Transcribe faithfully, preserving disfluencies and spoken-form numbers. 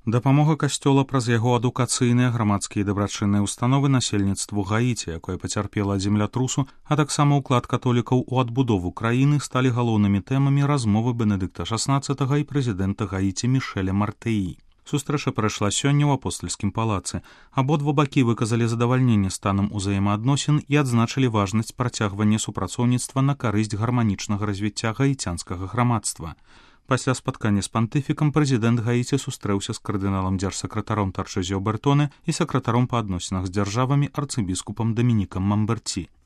Дапамога касцёла праз яго адукацыйныя, грамадскія і дабрачынныя ўстановы насельніцтву Гаіці, якое пацярпела ад землятрусу, а таксама ўклад католікаў у адбудову краіны сталі галоўнымі тэмамі размовы Бенедыкта шаснаццатага і прэзідэнта Гаіці Мішэля Мартэі. Сустрэча прайшла сёння ў апостальскім палацы. Абодва бакі выказалі задавальненне станам узаемаадносін і адзначылі важнасць працягвання супрацоўніцтва на карысць гарманічнага развіцця гаіцянскага грамадства. Пасля спаткання з пантыфікам прэзідэнт Гаіці сустрэўся з кардыналам дзяржсакратаром Тарчэзіо Бертоне і сакратаром па адносінах з дзяржавамі арцыбіскупам Дамінікам Мамберці.